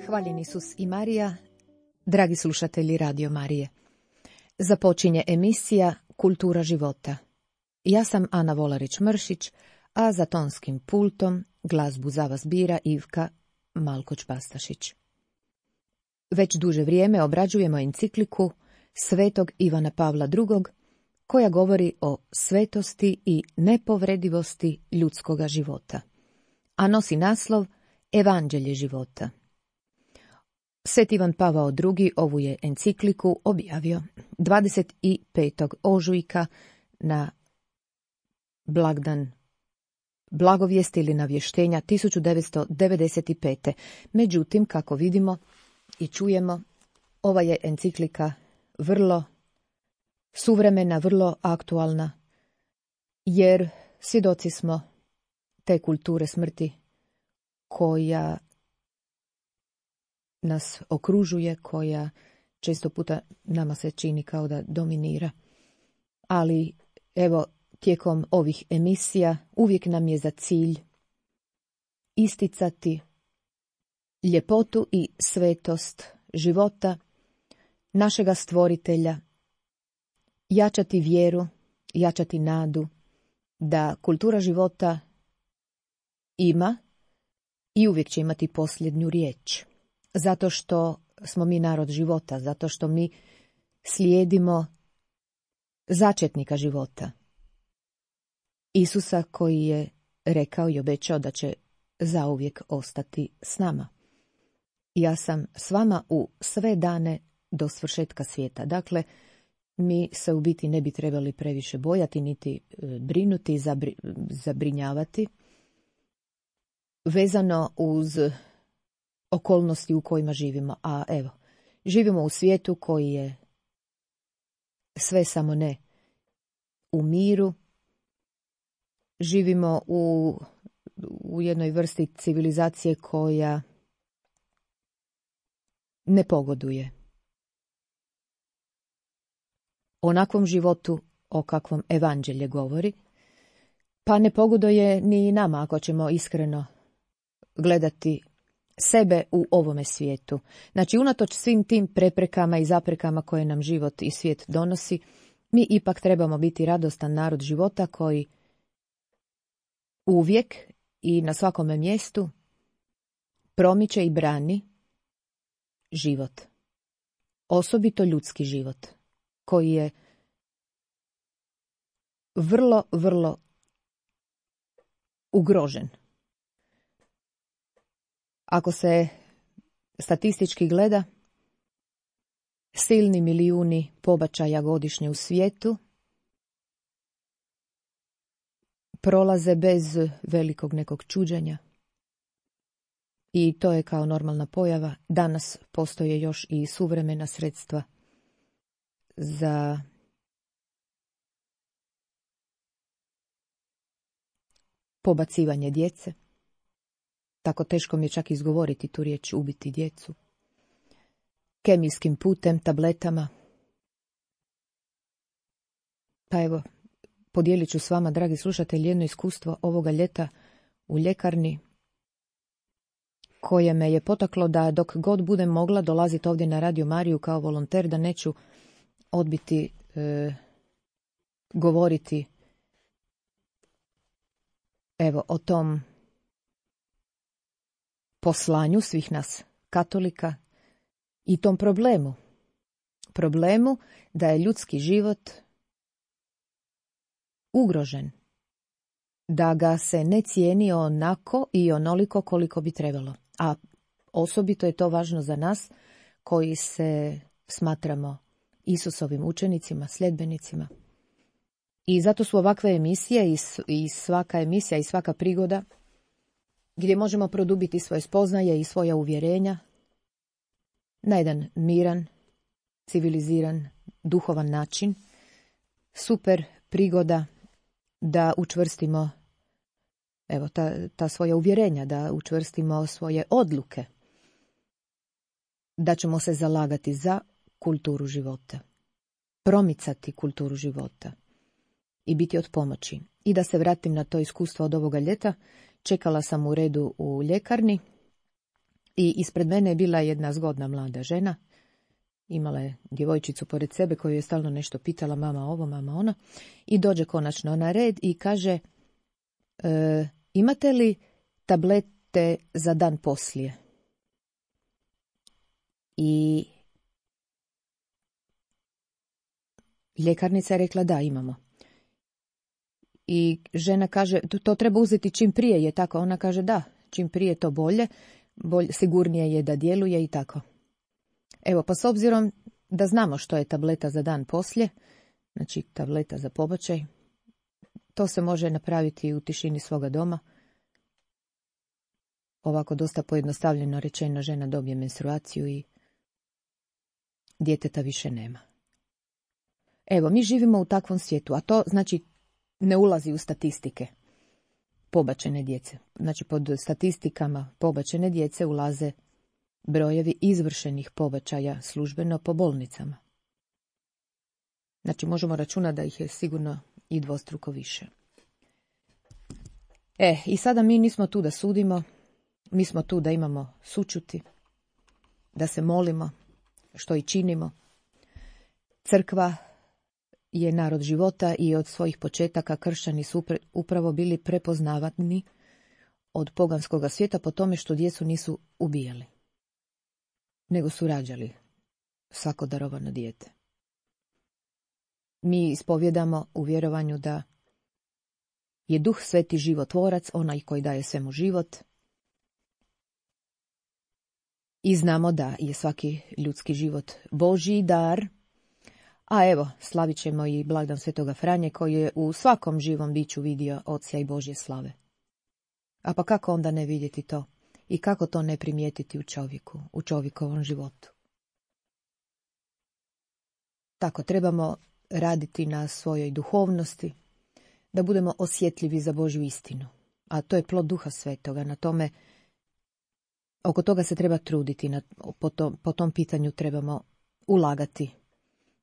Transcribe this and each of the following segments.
Hvaljen Isus i Marija, dragi slušatelji Radio Marije. Započinje emisija Kultura života. Ja sam Ana Volarić-Mršić, a za tonskim pultom glazbu za vas bira Ivka Malkoć-Bastašić. Već duže vrijeme obrađujemo encikliku Svetog Ivana Pavla II, koja govori o svetosti i nepovredivosti ljudskoga života, a nosi naslov Evanđelje života. Svet Ivan Pavao II ovu je encikliku objavio 25. ožujka na blagdan Blagovijesti ili Navještenja 1995. Međutim, kako vidimo i čujemo, ova je enciklika vrlo suvremena, vrlo aktualna, jer svjedoci smo te kulture smrti koja nas okružuje, koja često puta nama se čini kao da dominira. Ali evo, tijekom ovih emisija uvijek nam je za cilj isticati ljepotu i svetost života našega stvoritelja, jačati vjeru, jačati nadu da kultura života ima i uvijek će imati posljednju riječ. Zato što smo mi narod života, zato što mi slijedimo začetnika života. Isusa koji je rekao i obećao da će zauvijek ostati s nama. Ja sam s vama u sve dane do svršetka svijeta. Dakle, mi se u biti ne bi trebali previše bojati, niti brinuti, zabrinjavati, vezano uz okolnosti u kojima živimo. A evo, živimo u svijetu koji je sve samo ne u miru. Živimo u jednoj vrsti civilizacije koja ne pogoduje onakvom životu o kakvom Evanđelje govori, pa ne pogoduje ni nama ako ćemo iskreno gledati sebe u ovome svijetu. Znači, unatoč svim tim preprekama i zaprekama koje nam život i svijet donosi, mi ipak trebamo biti radostan narod života koji uvijek i na svakome mjestu promiče i brani život. Osobito ljudski život, koji je vrlo, vrlo ugrožen. Ako se statistički gleda, silni milijuni pobačaja godišnje u svijetu prolaze bez velikog nekog čuđenja. I to je kao normalna pojava. Danas postoje još i suvremena sredstva za pobacivanje djece. Tako teško mi je čak izgovoriti tu riječ ubiti djecu. Kemijskim putem, tabletama. Pa evo, podijelit ću s vama, dragi slušatelji, jedno iskustvo ovoga ljeta u ljekarni, koje me je potaklo da dok god budem mogla dolaziti ovdje na Radio Mariju kao volonter, da neću odbiti govoriti evo o tom poslanju svih nas katolika i tom problemu da je ljudski život ugrožen, da ga se ne cijeni onako i onoliko koliko bi trebalo. A osobito je to važno za nas koji se smatramo Isusovim učenicima, sljedbenicima. I zato su ovakve emisije i svaka emisija i svaka prigoda gdje možemo produbiti svoje spoznaje i svoja uvjerenja na jedan miran, civiliziran, duhovan način. Super prigoda da učvrstimo evo ta svoja uvjerenja, da učvrstimo svoje odluke, da ćemo se zalagati za kulturu života, promicati kulturu života i biti od pomoći. I da se vratim na to iskustvo od ovoga ljeta, čekala sam u redu u ljekarni I ispred mene je bila jedna zgodna mlada žena. Imala je djevojčicu pored sebe koju je stalno nešto pitala, mama ovo, mama ono. I dođe konačno na red i kaže, imate li tablete za dan poslije? I ljekarnica je rekla da, imamo. I žena kaže, to treba uzeti čim prije, je tako? Ona kaže da, čim prije to bolje, sigurnije je da djeluje i tako. Evo, pa s obzirom da znamo što je tableta za dan poslije, znači tableta za pobačaj, to se može napraviti u tišini svoga doma. Ovako dosta pojednostavljeno rečeno, žena dobije menstruaciju i djeteta više nema. Evo, mi živimo u takvom svijetu, a to znači ne ulazi u statistike pobačene djece. Znači pod statistikama pobačene djece ulaze brojevi izvršenih pobačaja službeno po bolnicama. Znači možemo računati da ih je sigurno i dvostruko više. I sada mi nismo tu da sudimo, mi smo tu da imamo sućuti, da se molimo, što i činimo. Crkva je narod života i od svojih početaka kršćani su upravo bili prepoznavani od poganskog svijeta po tome što djecu nisu ubijali, nego su rađali svako darovano dijete. Mi ispovjedamo u vjerovanju da je Duh Sveti životvorac, onaj koji daje svemu život. I znamo da je svaki ljudski život Božji dar. A evo, slavit ćemo i blagdan Svetoga Franje koji je u svakom živom biću vidio Oca i Božje slave. A pa kako onda ne vidjeti to? I kako to ne primijetiti u čovjeku, u čovjekovom životu? Tako trebamo raditi na svojoj duhovnosti, da budemo osjetljivi za Božju istinu. A to je plod Duha Svetoga. Na tome, oko toga se treba truditi, po tom pitanju trebamo ulagati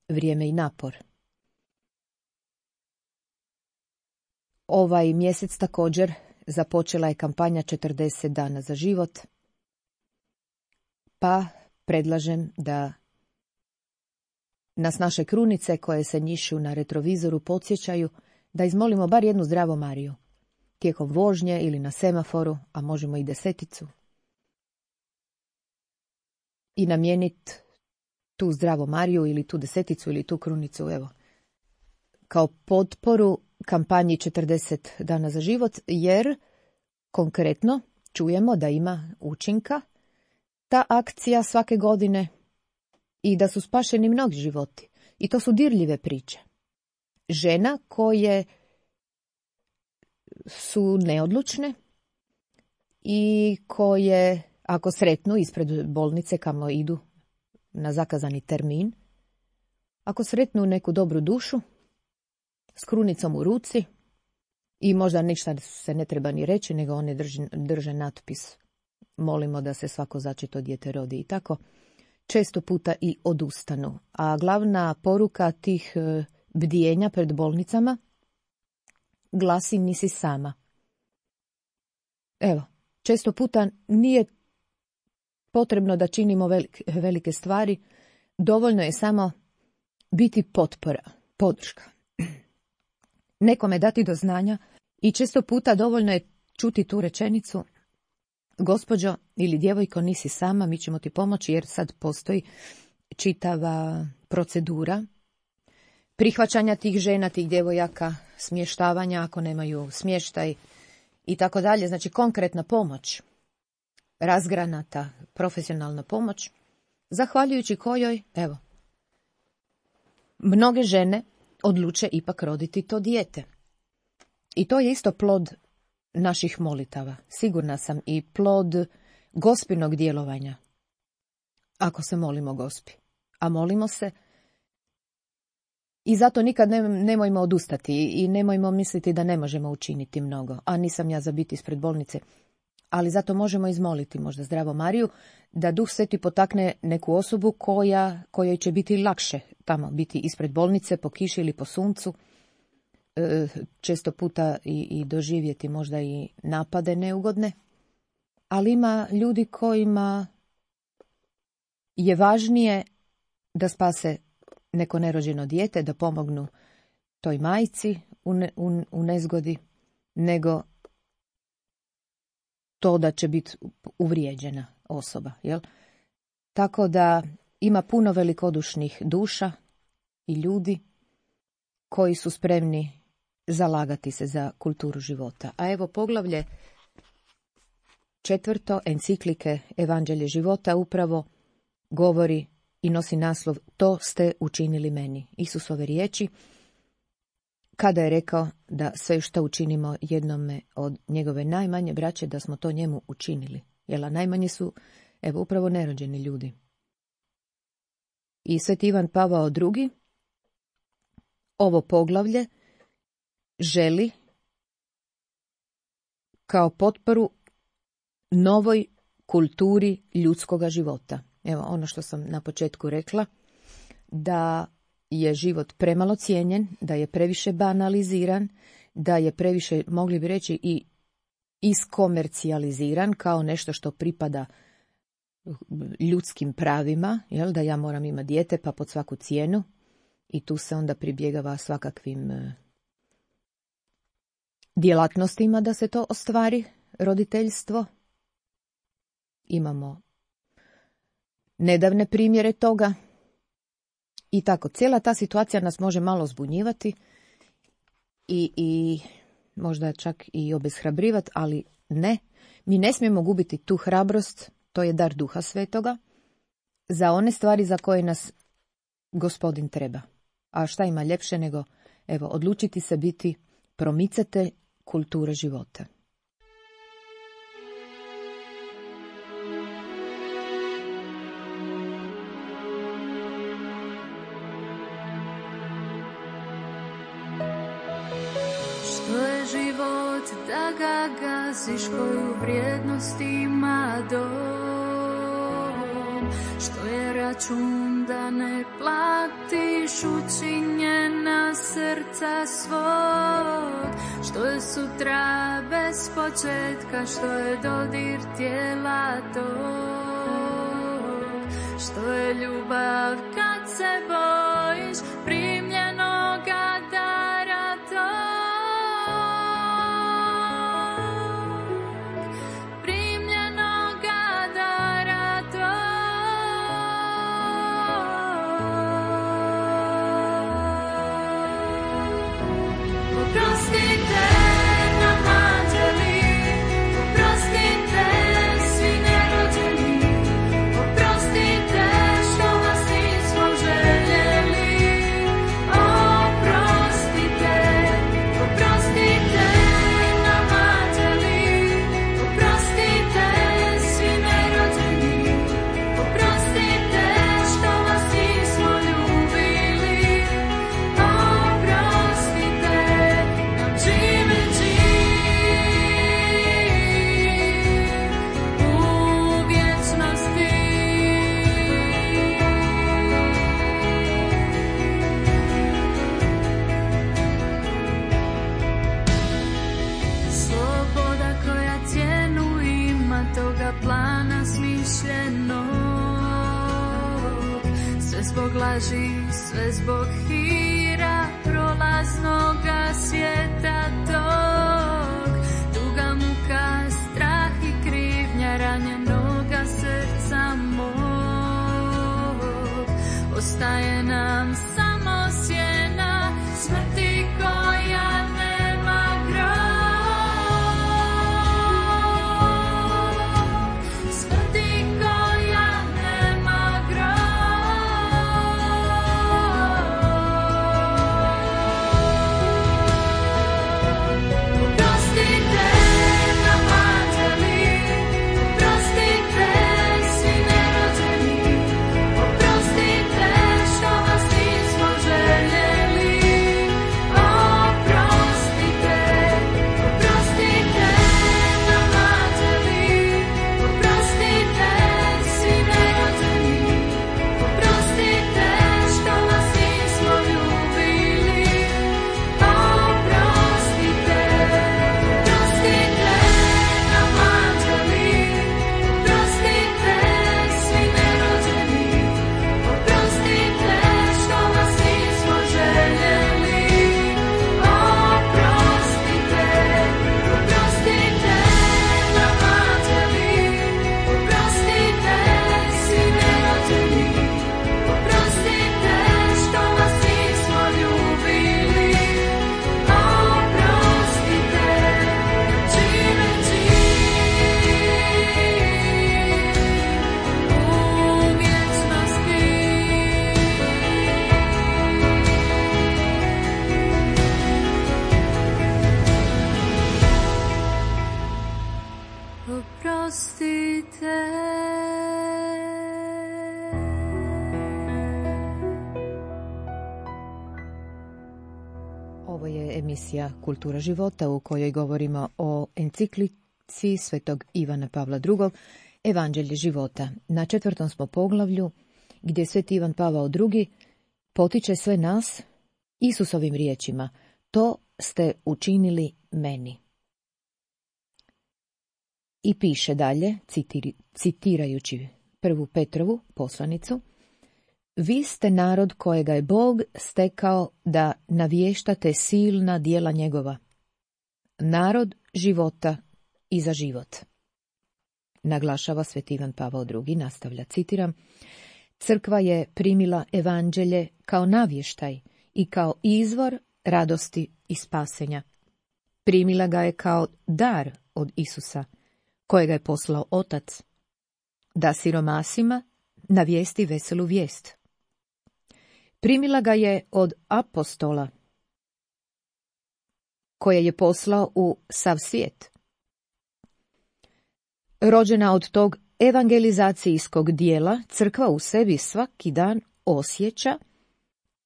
vrijeme i napor. Ovaj mjesec također započela je kampanja 40 dana za život, pa predlažem da nas naše krunice koje se njišu na retrovizoru podsjećaju da izmolimo bar jednu zdravu Mariju, tijekom vožnje ili na semaforu, a možemo i 10. I namijeniti tu zdravu Mariju ili tu 10 ili tu krunicu, evo, kao potporu kampanji 40 dana za život, jer konkretno čujemo da ima učinka ta akcija svake godine i da su spašeni mnogi životi. I to su dirljive priče. Žena koje su neodlučne i koje, ako sretnu ispred bolnice kamo idu na zakazani termin, ako sretnu neku dobru dušu s krunicom u ruci i možda ništa se ne treba ni reći, nego one drže natpis molimo da se svako začeto dijete rodi i tako, često puta i odustanu. A glavna poruka tih bdijenja pred bolnicama glasi nisi sama. Evo, često puta nije potrebno da činimo velike stvari, dovoljno je samo biti potpora, podrška. Nekome dati do znanja i često puta dovoljno je čuti tu rečenicu gospođo ili djevojko nisi sama, mi ćemo ti pomoći jer sad postoji čitava procedura prihvaćanja tih žena, tih djevojaka, smještavanja ako nemaju smještaj i tako dalje. Znači konkretna pomoć, razgranata profesionalna pomoć, zahvaljujući kojoj, evo, mnoge žene odluče ipak roditi to dijete. I to je isto plod naših molitava, sigurna sam, i plod Gospinog djelovanja. Ako se molimo Gospi, a molimo se, i zato nikad nemojmo odustati i nemojmo misliti da ne možemo učiniti mnogo, a nisam ja za biti ispred bolnice, ali zato možemo izmoliti možda zdravo Mariju, da Duh Sveti potakne neku osobu kojoj će biti lakše tamo biti ispred bolnice po kiši ili po suncu, često puta i doživjeti možda i napade neugodne, ali ima ljudi kojima je važnije da spase neko nerođeno dijete, da pomognu toj majci u nezgodi, nego to da će biti uvrijeđena osoba. Jel? Tako da ima puno velikodušnih duša i ljudi koji su spremni zalagati se za kulturu života. A evo poglavlje 4. enciklike Evanđelje života upravo govori i nosi naslov To ste učinili meni. Isusove riječi kada je rekao da sve što učinimo jednome od njegove najmanje braće, da smo to njemu učinili. Jel, a najmanje su, evo, upravo nerođeni ljudi. I Sveti Ivan Pavao II ovo poglavlje želi kao potporu novoj kulturi ljudskoga života. Evo ono što sam na početku rekla, da je život premalo cijenjen, da je previše banaliziran, da je previše, mogli bi reći, i iskomercijaliziran kao nešto što pripada ljudskim pravima, jel, da ja moram imati dijete pa pod svaku cijenu, i tu se onda pribjegava svakakvim djelatnostima da se to ostvari, roditeljstvo. Imamo nedavne primjere toga i tako. Cijela ta situacija nas može malo zbunjivati i možda čak i obeshrabrivati, ali ne. Mi ne smijemo gubiti tu hrabrost, to je dar Duha Svetoga, za one stvari za koje nas Gospodin treba. A šta ima ljepše nego, evo, odlučiti se biti promicatelj kulture života. Što je život da ga gaziš, koju vrijednost ima dom? Što je račun da ne platiš učinjena srca svog? Što je sutra bez početka, što je dodir tijela tog? Što je ljubav kad se bojiš primljenoga dara tog? Zbog laži, sve zbog hira prolaznoga svijeta tog. Tuga, muka, strah i krivnja ranjenoga srca mog. Ostaje nam samo sjena smrti koja nema grob. Smrti koja nema grob. emisija Kultura života u kojoj govorimo o enciklici svetog Ivana Pavla II. Evanđelje života. Na 4. smo poglavlju gdje sveti Ivan Pavao II. Potiče sve nas Isusovim riječima: to ste učinili meni. I piše dalje, citirajući 1. Petrovu poslanicu: vi ste narod kojega je Bog stekao da navještate silna djela njegova. Narod života i za život. Naglašava sveti Ivan Pavao II. Nastavlja, citiram: crkva je primila evanđelje kao navještaj i kao izvor radosti i spasenja. Primila ga je kao dar od Isusa, kojega je poslao Otac, da siromasima navijesti veselu vijest. Primila ga je od apostola, koje je poslao u sav svijet. Rođena od tog evangelizacijskog dijela, crkva u sebi svaki dan osjeća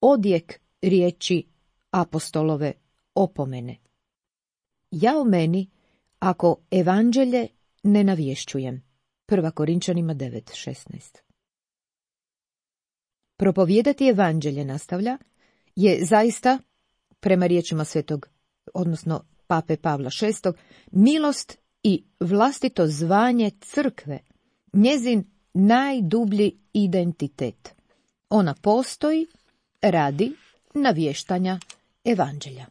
odjek riječi apostolove opomene: jao meni ako evanđelje ne navješćujem. 1. Korinčanima 9:16. Propovijedati evanđelje, nastavlja, je zaista, prema riječima svetog, odnosno pape Pavla VI, milost i vlastito zvanje crkve, njezin najdublji identitet. Ona postoji radi navještanja evanđelja.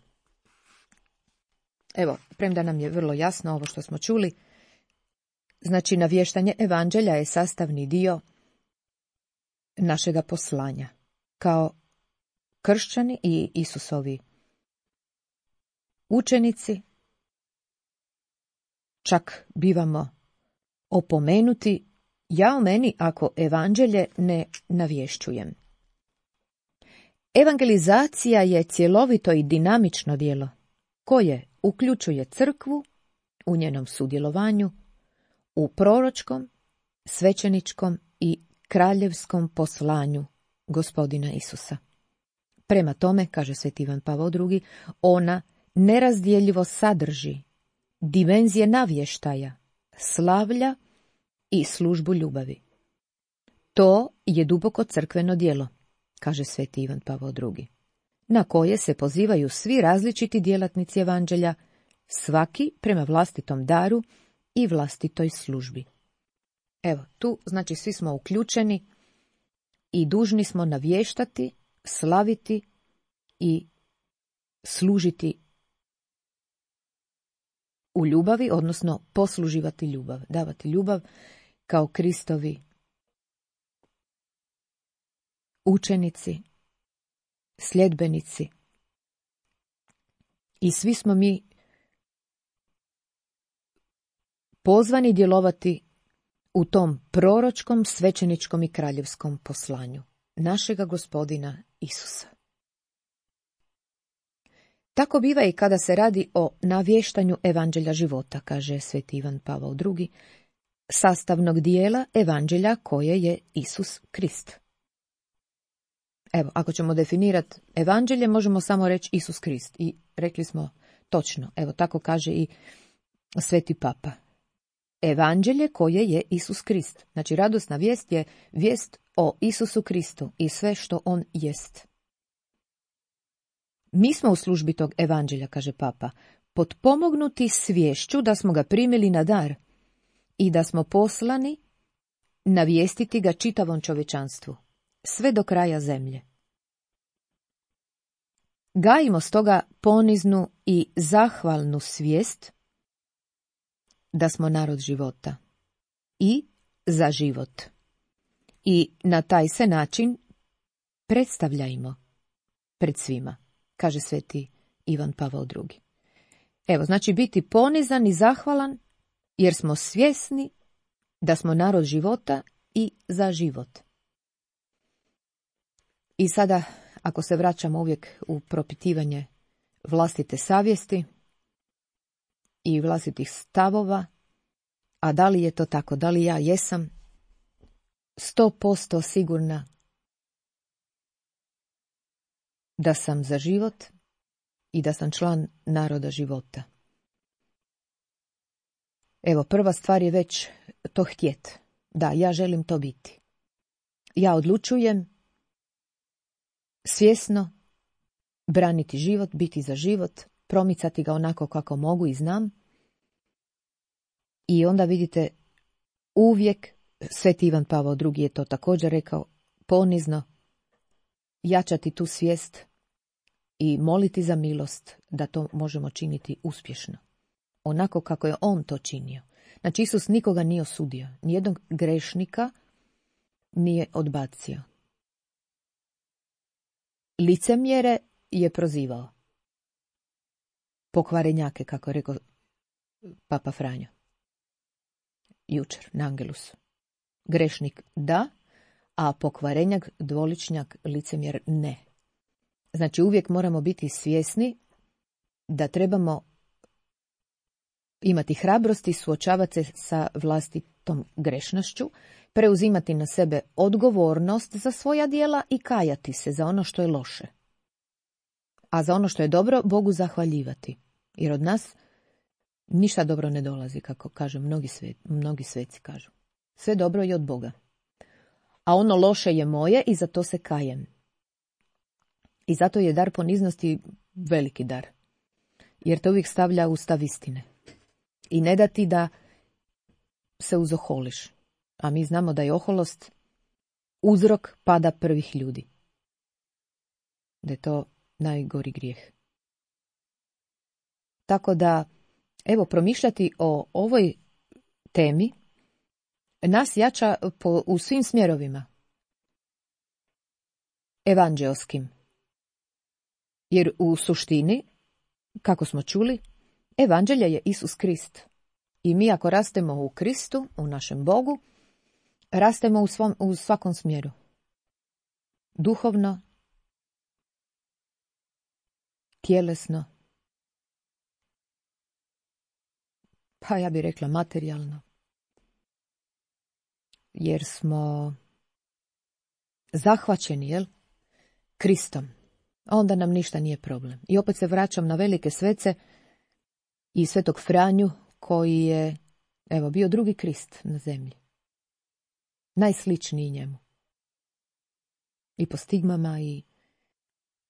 Evo, premda nam je vrlo jasno ovo što smo čuli, znači navještanje evanđelja je sastavni dio našega poslanja. Kao kršćani i Isusovi učenici čak bivamo opomenuti: jao meni ako evanđelje ne navješćujem. Evangelizacija je cjelovito i dinamično djelo koje uključuje crkvu u njenom sudjelovanju u proročkom, svećeničkom i kraljevskom poslanju Gospodina Isusa. Prema tome, kaže sveti Ivan Pavao II., ona nerazdjeljivo sadrži dimenzije navještaja, slavlja i službu ljubavi. To je duboko crkveno djelo, kaže sveti Ivan Pavao II., na koje se pozivaju svi različiti djelatnici evanđelja, svaki prema vlastitom daru i vlastitoj službi. Evo, tu znači svi smo uključeni i dužni smo navještati, slaviti i služiti u ljubavi, odnosno posluživati ljubav, davati ljubav kao Kristovi učenici, sljedbenici. I svi smo mi pozvani djelovati u tom proročkom, svećeničkom i kraljevskom poslanju našega Gospodina Isusa. Tako biva i kada se radi o navještanju evanđelja života, kaže sveti Ivan Pavao II., sastavnog dijela evanđelja koje je Isus Krist. Evo, ako ćemo definirati evanđelje, možemo samo reći Isus Krist. I rekli smo točno, evo tako kaže i sveti papa. Evanđelje koje je Isus Krist. Znači, radosna vijest je vijest o Isusu Kristu i sve što on jest. Mi smo u službi tog evanđelja, kaže papa, potpomognuti sviješću da smo ga primili na dar i da smo poslani navijestiti ga čitavom čovječanstvu, sve do kraja zemlje. Gajimo stoga poniznu i zahvalnu svijest da smo narod života i za život. I na taj se način predstavljajmo pred svima, kaže sveti Ivan Pavao II. Evo, znači biti ponizan i zahvalan jer smo svjesni da smo narod života i za život. I sada, ako se vraćamo uvijek u propitivanje vlastite savjesti i vlastitih stavova, a da li je to tako, da li ja jesam 100% sigurna da sam za život i da sam član naroda života. Evo, prva stvar je već to htjet. Da, ja želim to biti. Ja odlučujem svjesno braniti život, biti za život, promicati ga onako kako mogu i znam. I onda vidite, uvijek, Sveti Ivan Pavao II je to također rekao, ponizno jačati tu svijest i moliti za milost da to možemo činiti uspješno. Onako kako je on to činio. Znači, Isus nikoga nije osudio, nijednog grešnika nije odbacio. Licemjere je prozivao. Pokvarenjake, kako je rekao Papa Franjo jučer na Angelusu. Grešnik da, a pokvarenjak, dvoličnjak, licemjer ne. Znači, uvijek moramo biti svjesni da trebamo imati hrabrosti, suočavati se sa vlastitom grešnošću, preuzimati na sebe odgovornost za svoja djela i kajati se za ono što je loše. A za ono što je dobro, Bogu zahvaljivati. Jer od nas ništa dobro ne dolazi, kako kažu mnogi sveci kažu. Sve dobro je od Boga. A ono loše je moje i za to se kajem. I zato je dar poniznosti veliki dar. Jer to uvijek stavlja u stav istine. I ne da ti da se uzoholiš. A mi znamo da je oholost uzrok pada prvih ljudi. Da je to najgori grijeh. Tako da, evo, promišljati o ovoj temi nas jača u svim smjerovima. Evanđelskim. Jer u suštini, kako smo čuli, evanđelje je Isus Krist. I mi ako rastemo u Kristu, u našem Bogu, rastemo u svakom smjeru. Duhovno, tjelesno, pa ja bih rekla materijalno. Jer smo zahvaćeni, Kristom. Onda nam ništa nije problem. I opet se vraćam na velike svece i Svetog Franju, koji je, evo, bio drugi Krist na zemlji. Najsličniji njemu. I po stigmama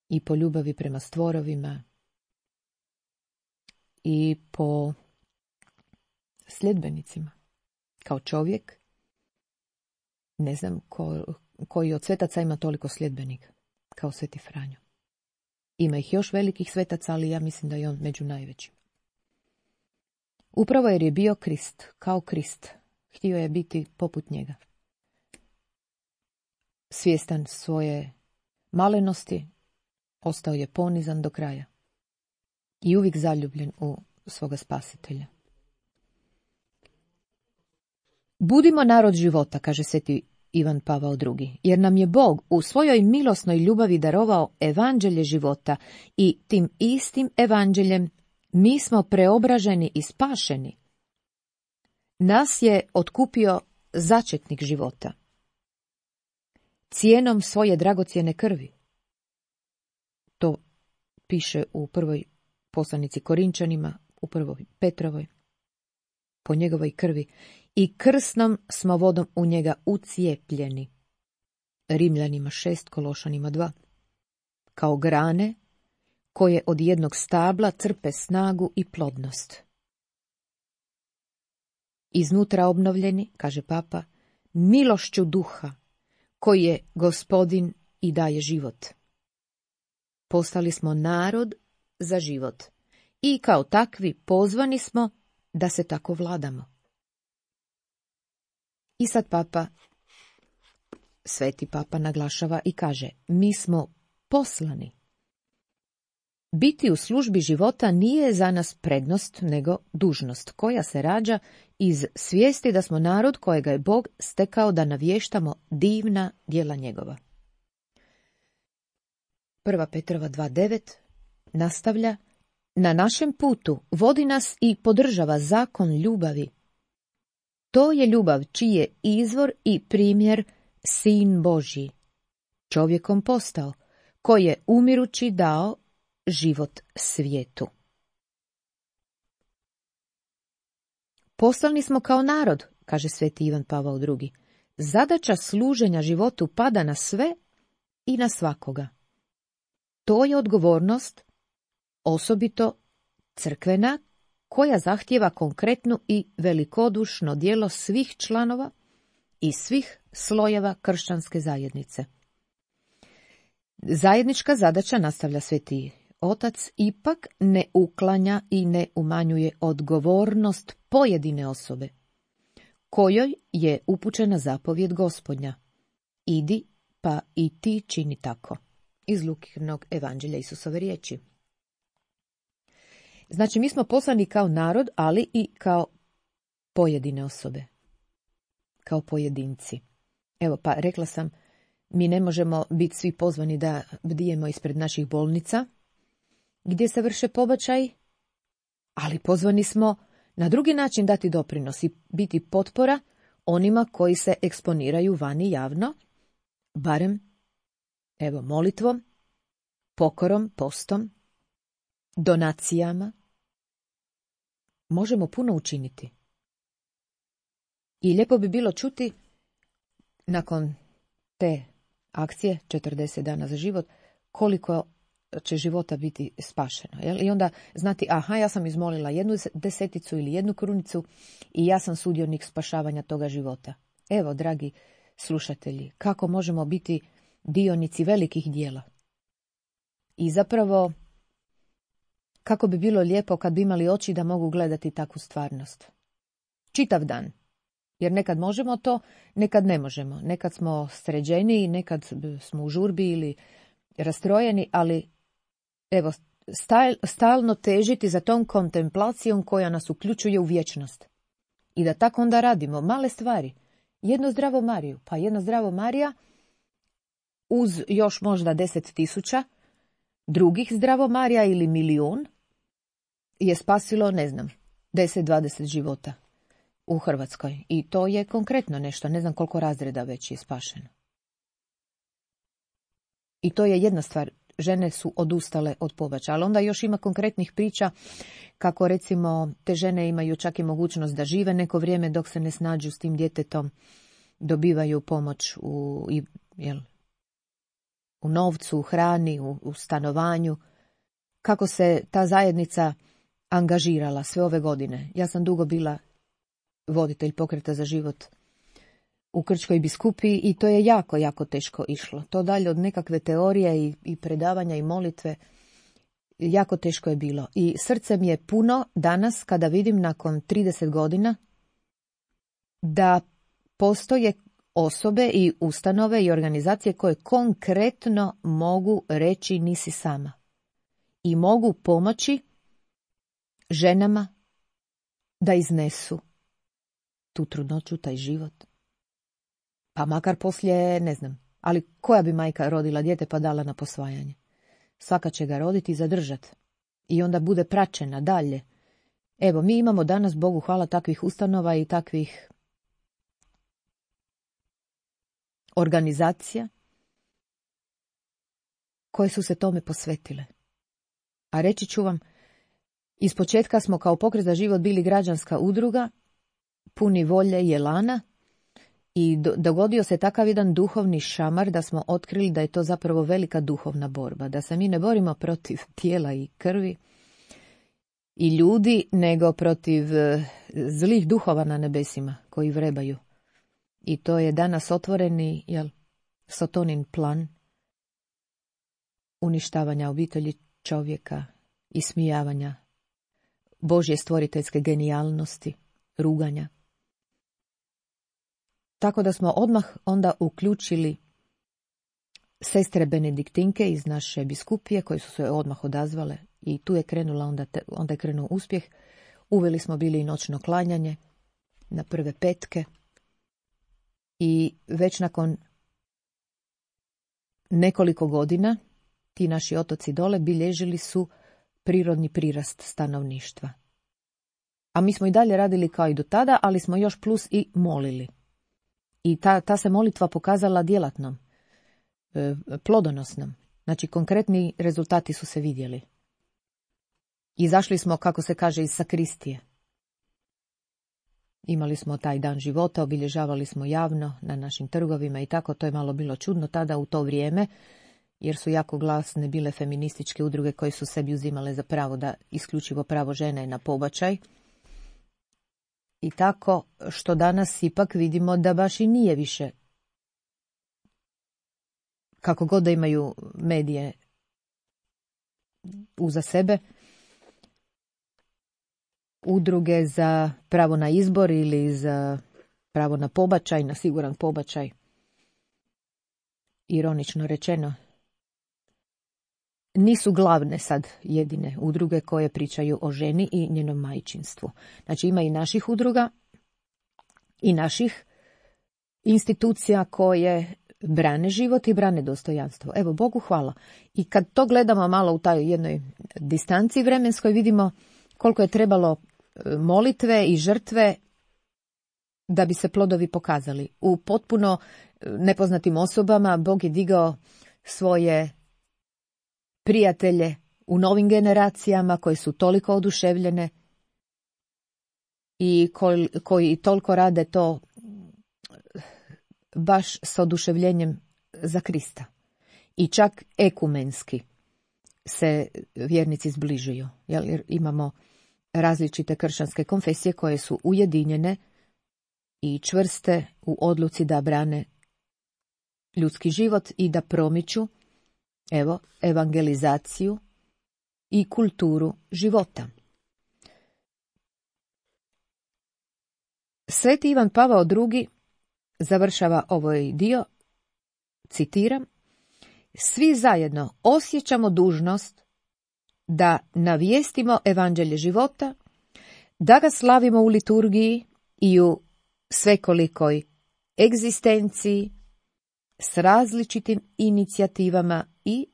i po ljubavi prema stvorovima i po sljedbenicima. Kao čovjek, ne znam koji od svetaca ima toliko sljedbenika kao Sveti Franjo. Ima ih još velikih svetaca, ali ja mislim da je on među najvećima. Upravo jer je bio Krist, kao Krist. Htio je biti poput njega. Svjestan svoje malenosti, ostao je ponizan do kraja. I uvijek zaljubljen u svoga spasitelja. Budimo narod života, kaže Sveti Ivan Pavao II, jer nam je Bog u svojoj milosnoj ljubavi darovao evanđelje života i tim istim evanđeljem mi smo preobraženi i spašeni. Nas je otkupio začetnik života. Cijenom svoje dragocjene krvi. To piše u prvoj poslanici Korinčanima, u prvoj Petrovoj. Po njegovoj krvi. I krsnom smo vodom u njega ucijepljeni. Rimljanima 6, Kološanima 2. Kao grane koje od jednog stabla crpe snagu i plodnost. Iznutra obnovljeni, kaže Papa, milošću duha, koji je Gospodin i daje život. Postali smo narod za život i kao takvi pozvani smo da se tako vladamo. I sad Sveti Papa naglašava i kaže, mi smo poslani. Biti u službi života nije za nas prednost, nego dužnost, koja se rađa iz svijesti da smo narod kojega je Bog stekao da navještamo divna djela njegova. 1. Petrova 2.9 nastavlja, na našem putu vodi nas i podržava zakon ljubavi. To je ljubav čiji je izvor i primjer Sin Božji, čovjekom postao, koji je umirući dao život svijetu. Poslani smo kao narod, kaže sveti Ivan Pavao II. Zadaća služenja životu pada na sve i na svakoga. To je odgovornost, osobito crkvena, koja zahtijeva konkretno i velikodušno djelo svih članova i svih slojeva kršćanske zajednice. Zajednička zadaća, nastavlja sveti Otac, ipak ne uklanja i ne umanjuje odgovornost pojedine osobe, kojoj je upućena zapovjed Gospodnja. Idi, pa i ti čini tako. Iz Lukinog evanđelja Isusove riječi. Znači, mi smo poslani kao narod, ali i kao pojedine osobe. Kao pojedinci. Evo, pa rekla sam, mi ne možemo biti svi pozvani da bdijemo ispred naših bolnica, gdje se vrše pobačaj, ali pozvani smo na drugi način dati doprinos i biti potpora onima koji se eksponiraju vani javno, barem, evo, molitvom, pokorom, postom, donacijama. Možemo puno učiniti. I lijepo bi bilo čuti, nakon te akcije, 40 dana za život, koliko će života biti spašeno. Jel? I onda znati, aha, ja sam izmolila 1 ili 1 krunicu i ja sam sudionik spašavanja toga života. Evo, dragi slušatelji, kako možemo biti dionici velikih dijela. I zapravo, kako bi bilo lijepo kad bi imali oči da mogu gledati takvu stvarnost. Čitav dan. Jer nekad možemo to, nekad ne možemo. Nekad smo sređeni, nekad smo u žurbi ili rastrojeni, ali evo, stalno težiti za tom kontemplacijom koja nas uključuje u vječnost. I da tako onda radimo male stvari. Jednu zdravu Mariju, pa jedna zdravo Marija uz još možda 10.000 drugih zdravo Marija ili 1.000.000 je spasilo, ne znam, 10-20 života u Hrvatskoj. I to je konkretno nešto, ne znam koliko razreda već je spašeno. I to je jedna stvar, žene su odustale od pobačaja, ali onda još ima konkretnih priča kako recimo te žene imaju čak i mogućnost da žive neko vrijeme dok se ne snađu s tim djetetom, dobivaju pomoć u novcu, u hrani, u stanovanju. Kako se ta zajednica angažirala sve ove godine. Ja sam dugo bila voditelj Pokreta za život u Krčkoj biskupiji i to je jako, jako teško išlo. To dalje od nekakve teorije i predavanja i molitve, jako teško je bilo. I srce mi je puno danas kada vidim nakon 30 godina da postoje osobe i ustanove i organizacije koje konkretno mogu reći nisi sama. I mogu pomoći ženama da iznesu tu trudnoću, taj život. Pa makar poslije, ne znam, ali koja bi majka rodila dijete pa dala na posvajanje? Svaka će ga roditi i zadržati. I onda bude praćena dalje. Evo, mi imamo danas, Bogu hvala, takvih ustanova i takvih organizacija koje su se tome posvetile. A reći ću vam, ispočetka smo kao Pokret za život bili građanska udruga, puni volje i elana, i dogodio se takav jedan duhovni šamar da smo otkrili da je to zapravo velika duhovna borba, da se mi ne borimo protiv tijela i krvi i ljudi, nego protiv zlih duhova na nebesima koji vrebaju. I to je danas otvoreni Sotonin plan uništavanja obitelji čovjeka, ismijavanja Božje stvoriteljske genijalnosti, ruganja. Tako da smo odmah onda uključili sestre benediktinke iz naše biskupije koje su se odmah odazvale i tu je krenula onda je krenuo uspjeh. Uveli smo bili i noćno klanjanje na prve petke i već nakon nekoliko godina ti naši otoci dole bilježili su prirodni prirast stanovništva. A mi smo i dalje radili kao i do tada, ali smo još plus i molili. I ta se molitva pokazala djelatnom, plodonosnom. Znači, konkretni rezultati su se vidjeli. Izašli smo, kako se kaže, iz sakristije. Imali smo taj dan života, obilježavali smo javno na našim trgovima i tako. To je malo bilo čudno tada u to vrijeme, jer su jako glasne bile feminističke udruge koje su sebi uzimale za pravo da isključivo pravo žene na pobačaj. I tako što danas ipak vidimo da baš i nije više, kako god da imaju medije uza sebe, udruge za pravo na izbor ili za pravo na pobačaj, na siguran pobačaj, ironično rečeno, nisu glavne sad jedine udruge koje pričaju o ženi i njenom majčinstvu. Znači ima i naših udruga i naših institucija koje brane život i brane dostojanstvo. Evo, Bogu hvala. I kad to gledamo malo u taj jednoj distanci vremenskoj, vidimo koliko je trebalo molitve i žrtve da bi se plodovi pokazali. U potpuno nepoznatim osobama Bog je digao svoje prijatelje u novim generacijama koje su toliko oduševljene i koji toliko rade to baš s oduševljenjem za Krista. I čak ekumenski se vjernici zbližuju, jer imamo različite kršćanske konfesije koje su ujedinjene i čvrste u odluci da brane ljudski život i da promiču, evo, evangelizaciju i kulturu života. Sveti Ivan Pavao II završava ovaj dio, citiram: svi zajedno osjećamo dužnost da navijestimo evanđelje života, da ga slavimo u liturgiji i u svekolikoj egzistenciji s različitim inicijativama i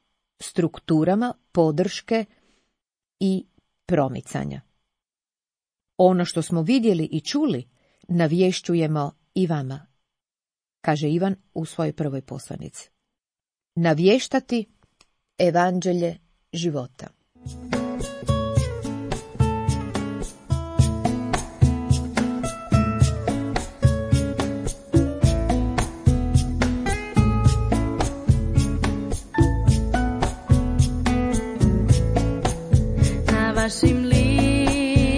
strukturama podrške i promicanja. Ono što smo vidjeli i čuli navješćujemo i vama, kaže Ivan u svojoj prvoj poslanici. Navještati evanđelje života. Na vašim licima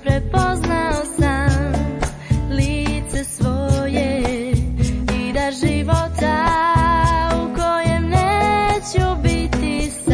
prepoznao sam lice svoje i da života u kojem neću biti sam.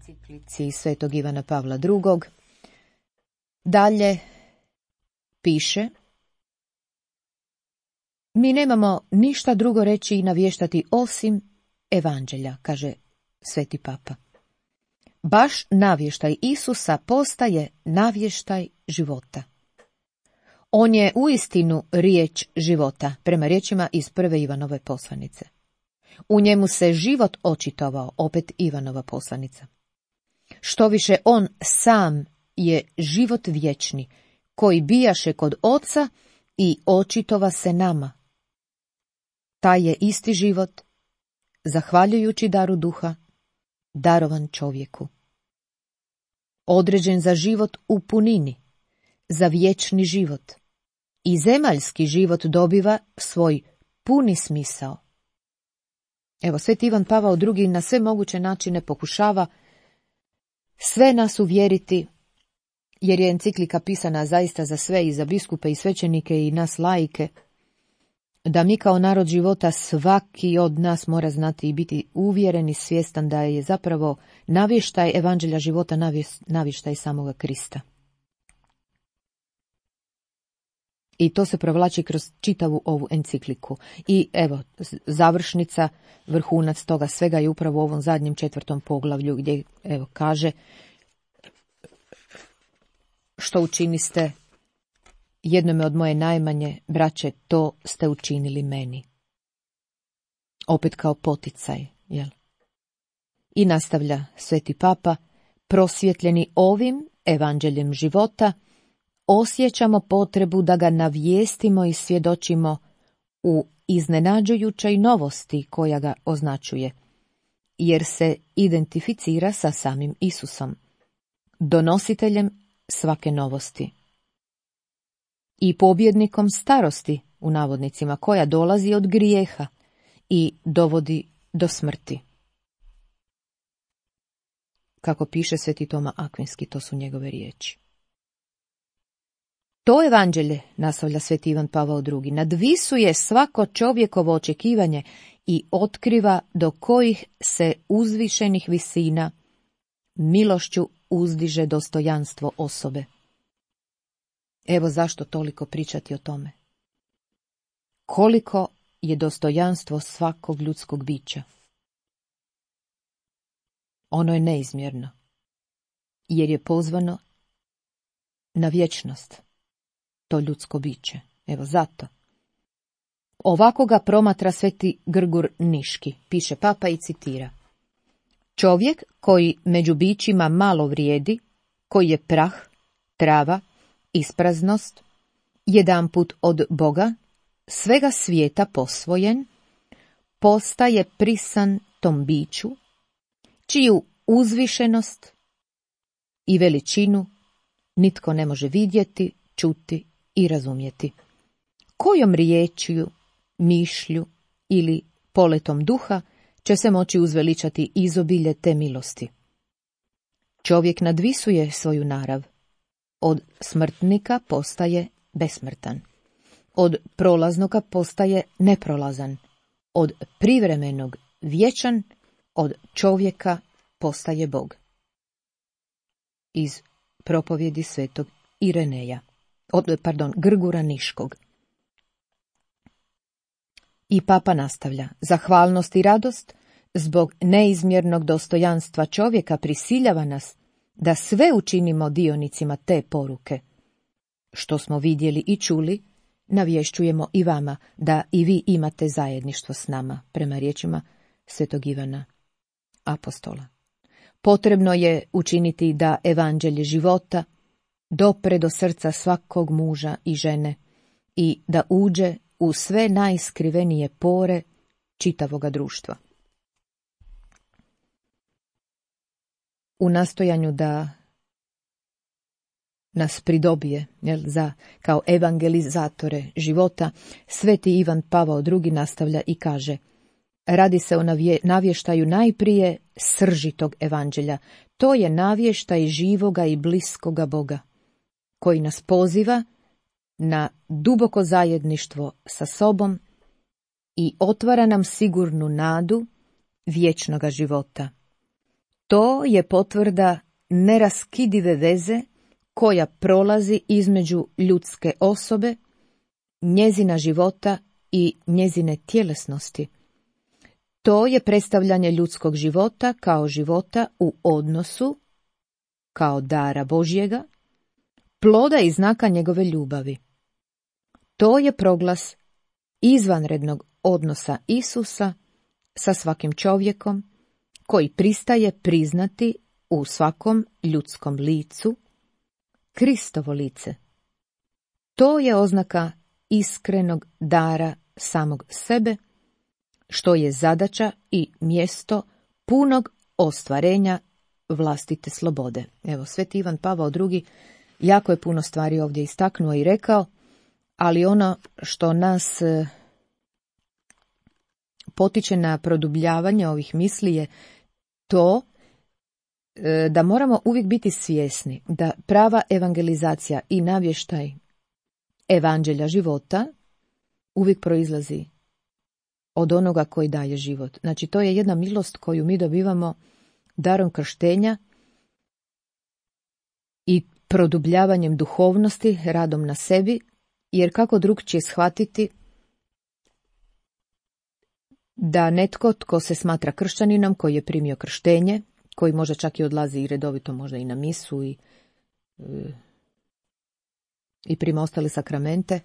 enciklici Svetog Ivana Pavla II. Dalje piše: mi nemamo ništa drugo reći i navještati osim evanđelja, kaže Sveti Papa. Baš navještaj Isusa postaje navještaj života. On je uistinu riječ života, prema riječima iz prve Ivanove poslanice. U njemu se život očitovao, opet Ivanova poslanica. Štoviše, on sam je život vječni, koji bijaše kod Oca i očitova se nama. Taj je isti život, zahvaljujući daru duha, darovan čovjeku. Određen za život u punini, za vječni život. I zemaljski život dobiva svoj puni smisao. Evo, Sveti Ivan Pavao II. Na sve moguće načine pokušava sve nas uvjeriti, jer je enciklika pisana zaista za sve, i za biskupe i svećenike i nas laike, da mi kao narod života svaki od nas mora znati i biti uvjeren i svjestan da je zapravo navještaj evanđelja života navještaj samoga Krista. I to se provlači kroz čitavu ovu encikliku. I evo, završnica, vrhunac toga svega je upravo u ovom zadnjem 4. poglavlju, gdje evo kaže: što učiniste jednome od moje najmanje braće, to ste učinili meni. Opet kao poticaj, jel? I nastavlja Sveti Papa: prosvjetljeni ovim evanđeljem života, osjećamo potrebu da ga navijestimo i svjedočimo u iznenađujućoj novosti koja ga označuje, jer se identificira sa samim Isusom, donositeljem svake novosti i pobjednikom starosti, u navodnicima, koja dolazi od grijeha i dovodi do smrti. Kako piše Sveti Toma Akvinski, to su njegove riječi. To evanđelje, nastavlja Sveti Ivan Pavao II., nadvisuje svako čovjekovo očekivanje i otkriva do kojih se uzvišenih visina milošću uzdiže dostojanstvo osobe. Evo zašto toliko pričati o tome. Koliko je dostojanstvo svakog ljudskog bića. Ono je neizmjerno, jer je pozvano na vječnost, to ljudsko biće. Evo zato. Ovako ga promatra Sveti Grgur Niški, piše Papa i citira: čovjek koji među bićima malo vrijedi, koji je prah, trava, ispraznost, jedanput od Boga, svega svijeta posvojen, postaje prisan tom biću, čiju uzvišenost i veličinu nitko ne može vidjeti, čuti i razumjeti. Kojom riječju, mišlju ili poletom duha će se moći uzveličati izobilje te milosti? Čovjek nadvisuje svoju narav. Od smrtnika postaje besmrtan. Od prolaznoga postaje neprolazan. Od privremenog vječan, od čovjeka postaje Bog. Iz propovjedi Svetog Ireneja, Grgura Niškog. I Papa nastavlja: zahvalnost i radost zbog neizmjernog dostojanstva čovjeka prisiljava nas da sve učinimo dionicima te poruke. Što smo vidjeli i čuli, navješćujemo i vama, da i vi imate zajedništvo s nama, prema riječima Svetog Ivana Apostola. Potrebno je učiniti da evanđelje života dopre do srca svakog muža i žene i da uđe u sve najskrivenije pore čitavoga društva. U nastojanju da nas pridobije kao evangelizatore života, Sveti Ivan Pavao II. Nastavlja i kaže: radi se o navještaju najprije srži tog evanđelja. To je navještaj živoga i bliskoga Boga, koji nas poziva na duboko zajedništvo sa sobom i otvara nam sigurnu nadu vječnoga života. To je potvrda neraskidive veze koja prolazi između ljudske osobe, njezina života i njezine tjelesnosti. To je predstavljanje ljudskog života kao života u odnosu, kao dara Božjega, ploda i znaka njegove ljubavi. To je proglas izvanrednog odnosa Isusa sa svakim čovjekom koji pristaje priznati u svakom ljudskom licu Kristovo lice. To je oznaka iskrenog dara samog sebe, što je zadaća i mjesto punog ostvarenja vlastite slobode. Evo, Sveti Ivan Pavao II jako je puno stvari ovdje istaknuo i rekao, ali ono što nas potiče na produbljavanje ovih misli je to da moramo uvijek biti svjesni da prava evangelizacija i navještaj evanđelja života uvijek proizlazi od onoga koji daje život. Znači, to je jedna milost koju mi dobivamo darom krštenja i produbljavanjem duhovnosti, radom na sebi, jer kako drugčije shvatiti da netko tko se smatra kršćaninom, koji je primio krštenje, koji možda čak i odlazi i redovito možda i na misu i prima ostale sakramente,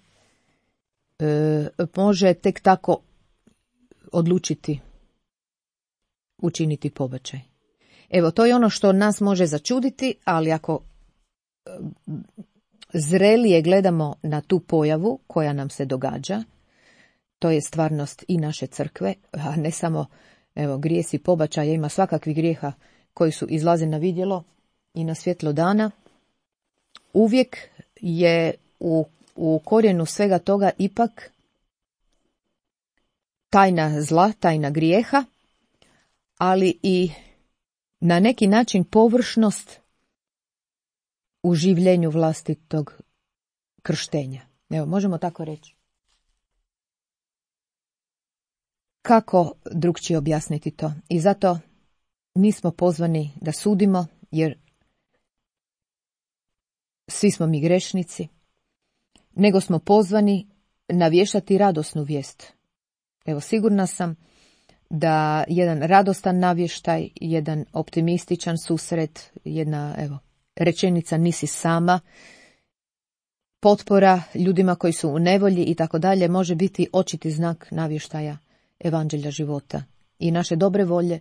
može tek tako odlučiti učiniti pobačaj. Evo, to je ono što nas može začuditi, ali ako zrelije gledamo na tu pojavu koja nam se događa, to je stvarnost i naše crkve, a ne samo grijesi pobačaja, ima svakakvih grijeha koji su izlaze na vidjelo i na svjetlo dana. Uvijek je u korijenu svega toga ipak tajna zla, tajna grijeha, ali i na neki način površnost u življenju vlastitog krštenja. Evo, možemo tako reći. Kako drugčije objasniti to? I zato nismo pozvani da sudimo, jer svi smo mi grešnici, nego smo pozvani navještati radosnu vijest. Evo, sigurna sam da jedan radostan navještaj, jedan optimističan susret, jedna rečenica nisi sama, potpora ljudima koji su u nevolji i tako dalje, može biti očiti znak navještaja evanđelja života i naše dobre volje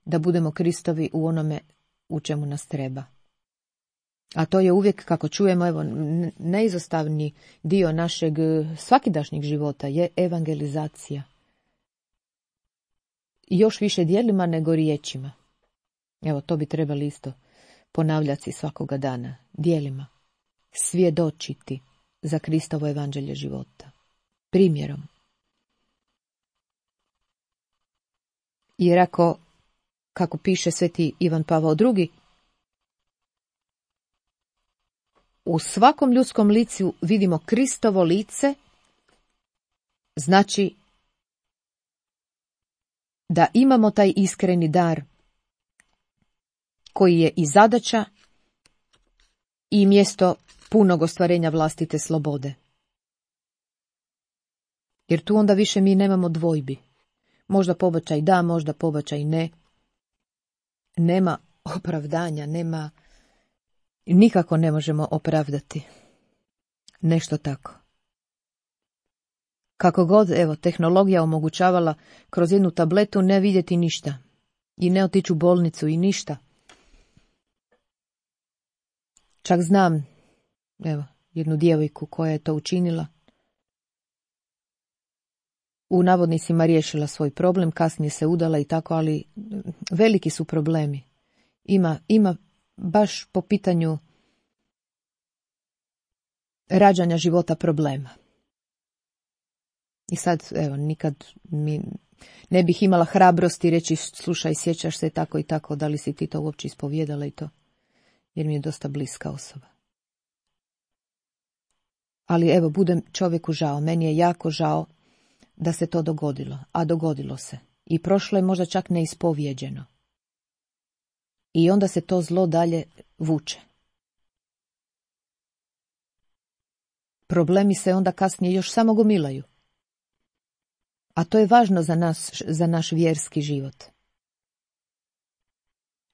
da budemo Kristovi u onome u čemu nas treba. A to je uvijek, kako čujemo, neizostavni dio našeg svakidašnjeg života je evangelizacija. I još više djelima nego riječima. Evo, to bi trebali isto ponavljati svakoga dana. Djelima. Svjedočiti za Kristovo evanđelje života. Primjerom. Jer kako piše Sveti Ivan Pavao II, u svakom ljudskom licu vidimo Kristovo lice, znači da imamo taj iskreni dar koji je i zadaća i mjesto punog ostvarenja vlastite slobode. Jer tu onda više mi nemamo dvojbi. Možda pobačaj da, možda pobačaj ne. Nema opravdanja, nikako ne možemo opravdati nešto tako. Kako god, tehnologija omogućavala kroz jednu tabletu ne vidjeti ništa i ne otići u bolnicu i ništa. Čak znam, jednu djevojku koja je to učinila. U navodnicima riješila svoj problem, kasnije se udala i tako, ali veliki su problemi. Ima baš po pitanju rađanja života problema. I sad, nikad mi ne bih imala hrabrosti reći, slušaj, sjećaš se tako i tako, da li si ti to uopće ispovjedala i to, jer mi je dosta bliska osoba. Ali budem čovjeku žao, meni je jako žao da se to dogodilo, a dogodilo se. I prošlo je možda čak neispovjeđeno. i onda se to zlo dalje vuče. Problemi se onda kasnije još samo gomilaju. A to je važno za naš vjerski život.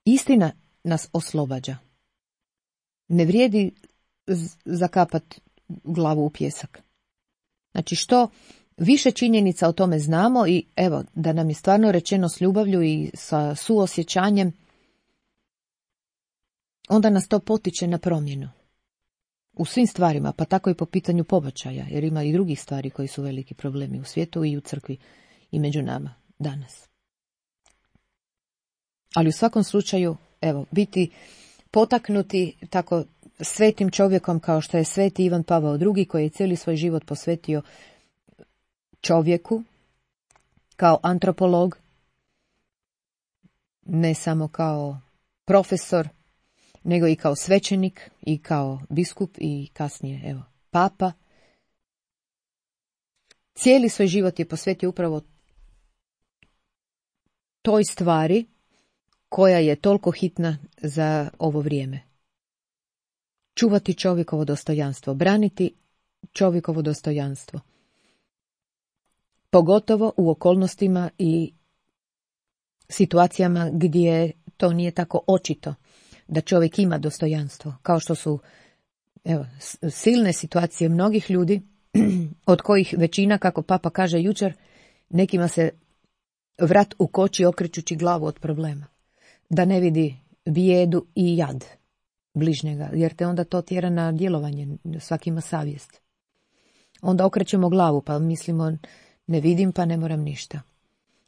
Istina nas oslobađa. Ne vrijedi zakapati glavu u pjesak. Znači što više činjenica o tome znamo i evo da nam je stvarno rečeno s ljubavlju i sa suosjećanjem, onda nas to potiče na promjenu. U svim stvarima, pa tako i po pitanju pobačaja, jer ima i drugih stvari koji su veliki problemi u svijetu i u crkvi i među nama danas. Ali u svakom slučaju, evo, biti potaknuti tako svetim čovjekom kao što je sveti Ivan Pavao II, koji je cijeli svoj život posvetio čovjeku kao antropolog, ne samo kao profesor, nego i kao svećenik i kao biskup i kasnije, evo, papa. Cijeli svoj život je posvetio upravo toj stvari koja je toliko hitna za ovo vrijeme. Čuvati čovjekovo dostojanstvo, braniti čovjekovo dostojanstvo. Pogotovo u okolnostima i situacijama gdje to nije tako očito da čovjek ima dostojanstvo, kao što su silne situacije mnogih ljudi, od kojih većina, kako papa kaže jučer, nekima se vrat ukoči okrećući glavu od problema. Da ne vidi bijedu i jad bližnjega, jer te onda to tjera na djelovanje, svaki ima savjest. Onda okrećemo glavu, pa mislimo ne vidim pa ne moram ništa.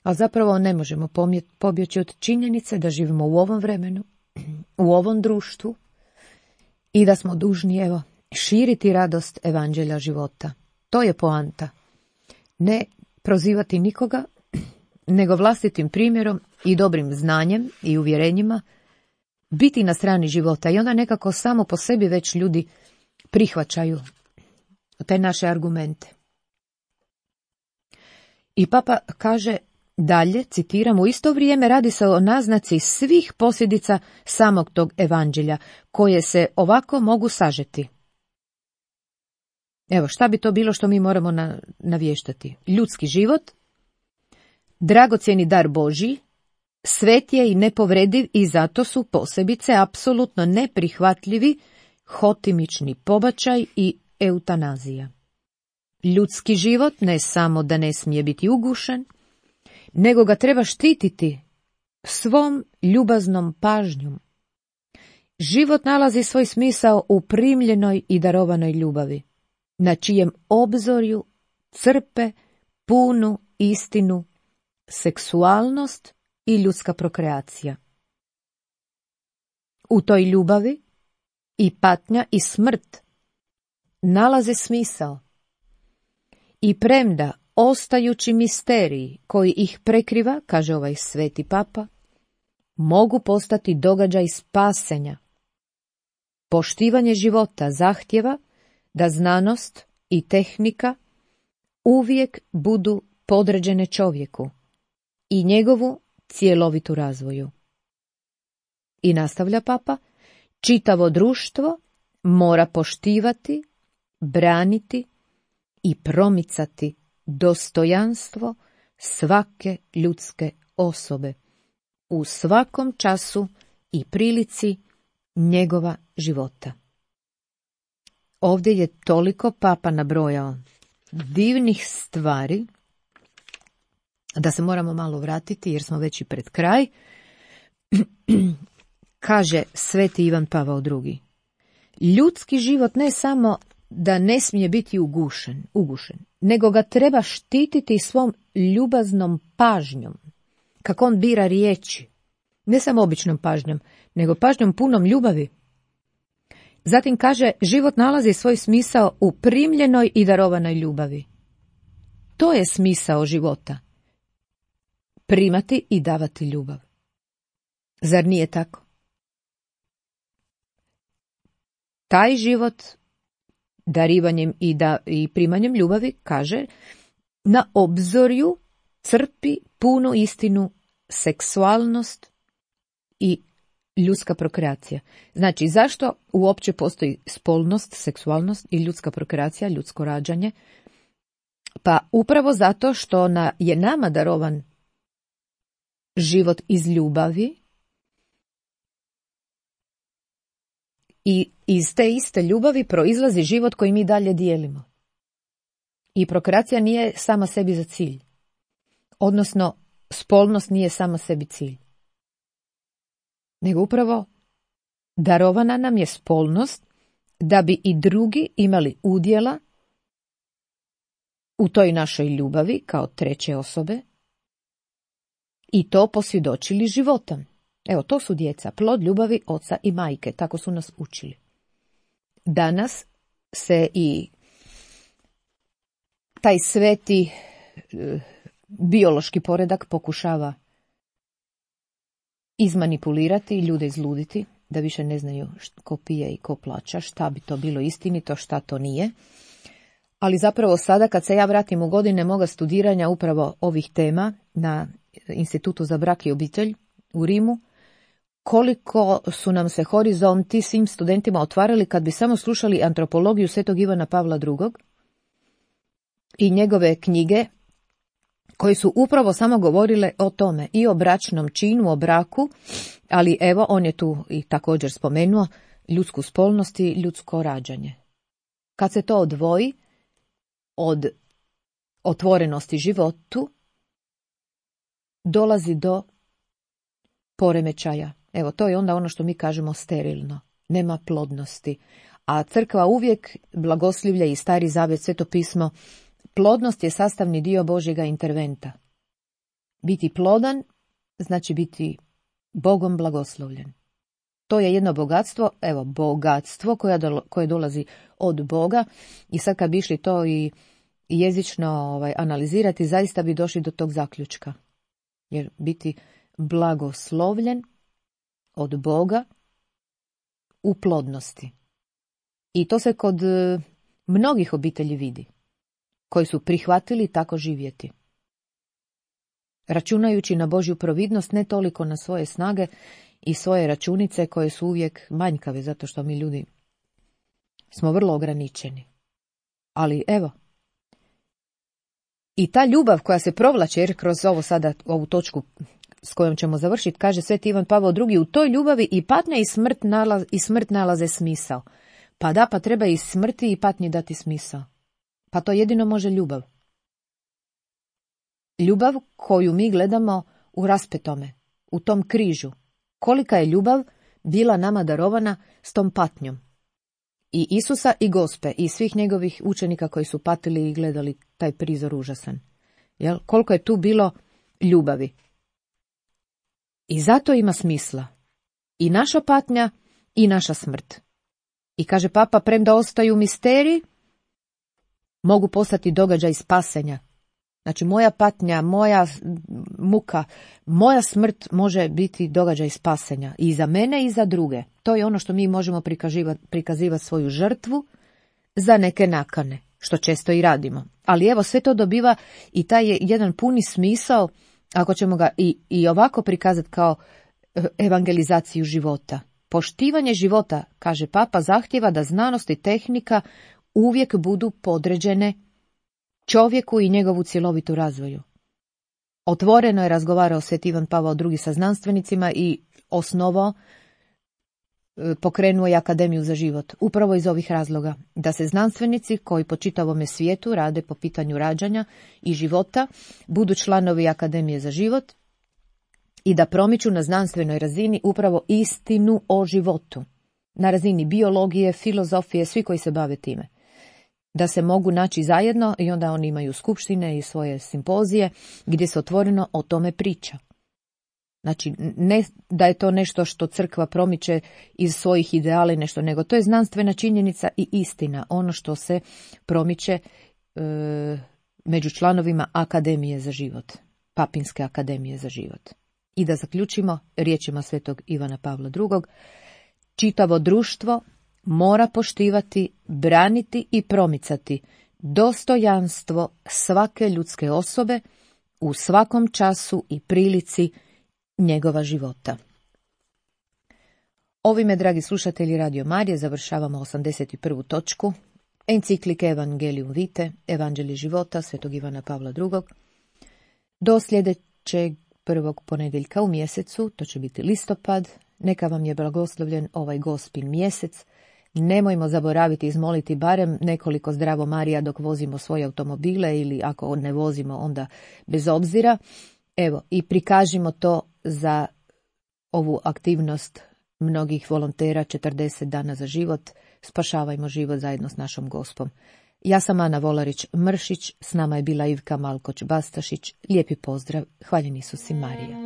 A zapravo ne možemo pobjeći od činjenice da živimo u ovom vremenu, u ovom društvu i da smo dužni, evo, širiti radost evanđelja života. To je poanta. Ne prozivati nikoga, nego vlastitim primjerom i dobrim znanjem i uvjerenjima biti na strani života i onda nekako samo po sebi već ljudi prihvaćaju te naše argumente. I papa kaže dalje, citiram, u isto vrijeme radi se o naznaci svih posljedica samog tog evanđelja, koje se ovako mogu sažeti. Evo, šta bi to bilo što mi moramo navještati? Ljudski život, dragocjeni dar Božji, svet je i nepovrediv i zato su posebice apsolutno neprihvatljivi hotimični pobačaj i eutanazija. Ljudski život ne samo da ne smije biti ugušen, nego ga treba štititi svom ljubaznom pažnjom. Život nalazi svoj smisao u primljenoj i darovanoj ljubavi, na čijem obzorju crpe punu istinu, seksualnost i ljudska prokreacija. U toj ljubavi i patnja i smrt nalaze smisao. I premda ostajući misteriji koji ih prekriva, kaže ovaj sveti papa, mogu postati događaj spasenja. Poštivanje života zahtjeva da znanost i tehnika uvijek budu podređene čovjeku i njegovu cjelovitu razvoju. I nastavlja papa, čitavo društvo mora poštivati, braniti i promicati dostojanstvo svake ljudske osobe u svakom času i prilici njegova života. Ovdje je toliko papa nabrojao divnih stvari da se moramo malo vratiti jer smo već i pred kraj. Kaže sveti Ivan Pavao II. Ljudski život ne samo da ne smije biti ugušen, nego ga treba štititi svom ljubaznom pažnjom, kako on bira riječi, ne samo običnom pažnjom, nego pažnjom punom ljubavi. Zatim kaže, život nalazi svoj smisao u primljenoj i darovanoj ljubavi. To je smisao života. Primati i davati ljubav. Zar nije tako? Taj život, darivanjem i primanjem ljubavi, kaže, na obzorju crpi punu istinu, seksualnost i ljudska prokreacija. Znači, zašto uopće postoji spolnost, seksualnost i ljudska prokreacija, ljudsko rađanje? Pa upravo zato što je nama darovan život iz ljubavi i iz te iste ljubavi proizlazi život koji mi dalje dijelimo. I prokreacija nije sama sebi za cilj. Odnosno, spolnost nije sama sebi cilj. Nego upravo darovana nam je spolnost da bi i drugi imali udjela u toj našoj ljubavi kao treće osobe i to posvjedočili životom. Evo, to su djeca, plod ljubavi oca i majke, tako su nas učili. Danas se i taj sveti biološki poredak pokušava izmanipulirati, ljude izluditi, da više ne znaju ko pije i ko plaća, šta bi to bilo istinito, šta to nije. Ali zapravo sada kad se ja vratim u godine moga studiranja upravo ovih tema na Institutu za brak i obitelj u Rimu, koliko su nam se horizonti svim studentima otvarali kad bi samo slušali antropologiju svetog Ivana Pavla II. I njegove knjige koje su upravo samo govorile o tome i o bračnom činu, o braku, ali evo on je tu i također spomenuo ljudsku spolnost i ljudsko rađanje. Kad se to odvoji od otvorenosti životu, dolazi do poremećaja. Evo, to je onda ono što mi kažemo sterilno. Nema plodnosti. A crkva uvijek blagoslivlja i Stari Zavet, Sveto pismo, plodnost je sastavni dio Božjega interventa. Biti plodan znači biti Bogom blagoslovljen. To je jedno bogatstvo, evo, bogatstvo koje dolazi od Boga i sad kad bi išli to i jezično analizirati, zaista bi došli do tog zaključka. Jer biti blagoslovljen od Boga u plodnosti. I to se kod mnogih obitelji vidi, koji su prihvatili tako živjeti. Računajući na Božju providnost, ne toliko na svoje snage i svoje računice koje su uvijek manjkave, zato što mi ljudi smo vrlo ograničeni. Ali evo, i ta ljubav koja se provlače, jer kroz ovu točku s kojom ćemo završiti, kaže Sveti Ivan Pavao II, u toj ljubavi i patnja i smrt nalaze smisao. Pa da, pa treba i smrti i patnji dati smisao. Pa to jedino može ljubav. Ljubav koju mi gledamo u raspetome, u tom križu. Kolika je ljubav bila nama darovana s tom patnjom. I Isusa i Gospe i svih njegovih učenika koji su patili i gledali taj prizor užasan. Jel? Koliko je tu bilo ljubavi. I zato ima smisla. I naša patnja i naša smrt. I kaže Papa, premda ostaju misteriji, mogu postati događaj spasenja. Znači moja patnja, moja muka, moja smrt može biti događaj spasenja. I za mene i za druge. To je ono što mi možemo prikazivati svoju žrtvu za neke nakane, što često i radimo. Ali evo, sve to dobiva i taj je jedan puni smisao, ako ćemo ga i ovako prikazati kao evangelizaciju života. Poštivanje života, kaže Papa, zahtjeva da znanost i tehnika uvijek budu podređene čovjeku i njegovu cjelovitu razvoju. Otvoreno je razgovarao Sveti Ivan Pavao II sa znanstvenicima i pokrenuo je Akademiju za život. Upravo iz ovih razloga, da se znanstvenici koji po čitavome svijetu rade po pitanju rađanja i života budu članovi Akademije za život i da promiču na znanstvenoj razini upravo istinu o životu. Na razini biologije, filozofije, svi koji se bave time. Da se mogu naći zajedno i onda oni imaju skupštine i svoje simpozije gdje se otvoreno o tome priča. Znači, ne da je to nešto što crkva promiče iz svojih ideala i nešto, nego to je znanstvena činjenica i istina, ono što se promiče među članovima Akademije za život, Papinske akademije za život. I da zaključimo riječima Svetog Ivana Pavla II. Čitavo društvo mora poštivati, braniti i promicati dostojanstvo svake ljudske osobe u svakom času i prilici njegova života. Ovime, dragi slušatelji Radio Marije, završavamo 81. točku enciklike Evangelium Vitae, Evanđelje života Svetog Ivana Pavla II. Do sljedećeg prvog ponedjeljka u mjesecu, to će biti listopad, neka vam je blagoslovljen ovaj Gospin mjesec. Nemojmo zaboraviti izmoliti barem nekoliko Zdravo Marija dok vozimo svoje automobile ili ako ne vozimo onda bez obzira. Evo, i prikažimo to za ovu aktivnost mnogih volontera 40 dana za život. Spašavajmo život zajedno s našom Gospom. Ja sam Ana Volarić-Mršić, s nama je bila Ivka Malkoć-Bastašić. Lijepi pozdrav, hvaljen Isus i Marija.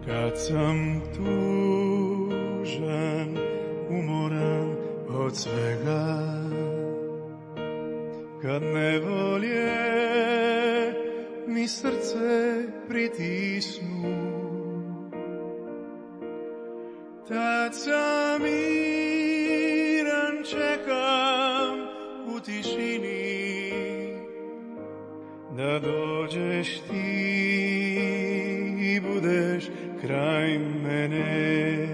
Kad sam tužan, umoran od svega, kad nevolje mi srce pritisnu, tad sam miran, čekam u tišini da dođeš ti i budeš kraj mene.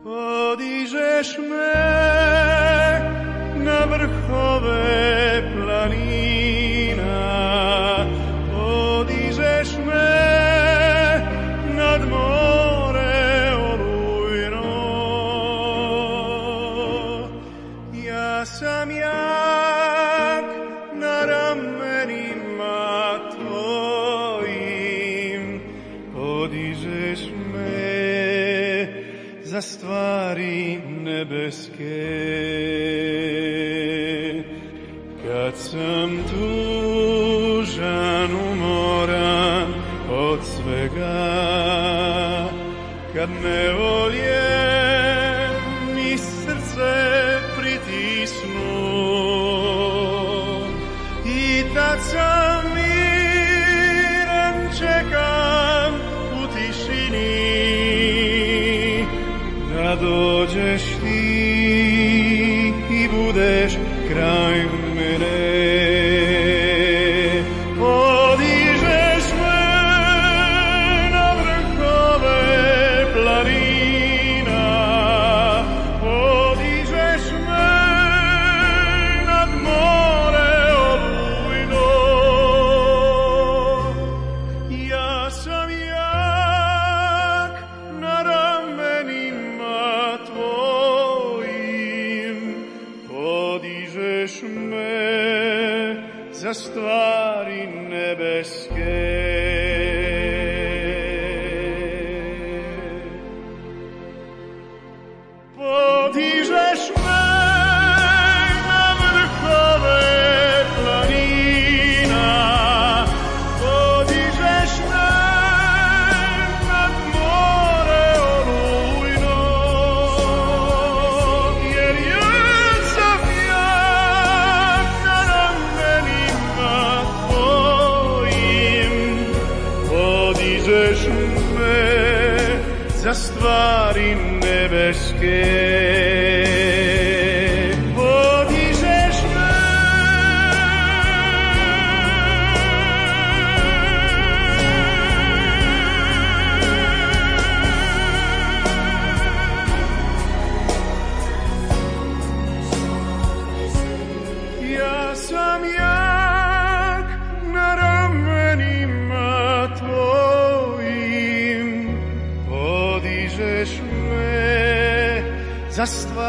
Podižeš me na vrhove planina, podižeš me nad more olujno. Ja sam jak na ramenima tvojim, podižeš me za stvari nebeske. Kad sam tužan, umoran od svega, kad nevolje mi srce pritisnu, i tad sam miran, čekam u tišini da dođeš ti i budeš kraj mene. Podižeš me na vrhove planina, podižeš me nad more olujno. Ja sam jak na ramenima tvojim, podižeš me za stvari nebeske. Podižeš me na vrhove planina, podižeš me nad more olujno, jer jak sam jak na ramenima tvojim, podižeš me za stvari nebeske. Podižeš me ja sam jak na ramenima tvojim, podižeš me za stvari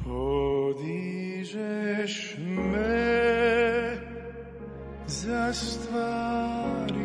Podižeš me za stvari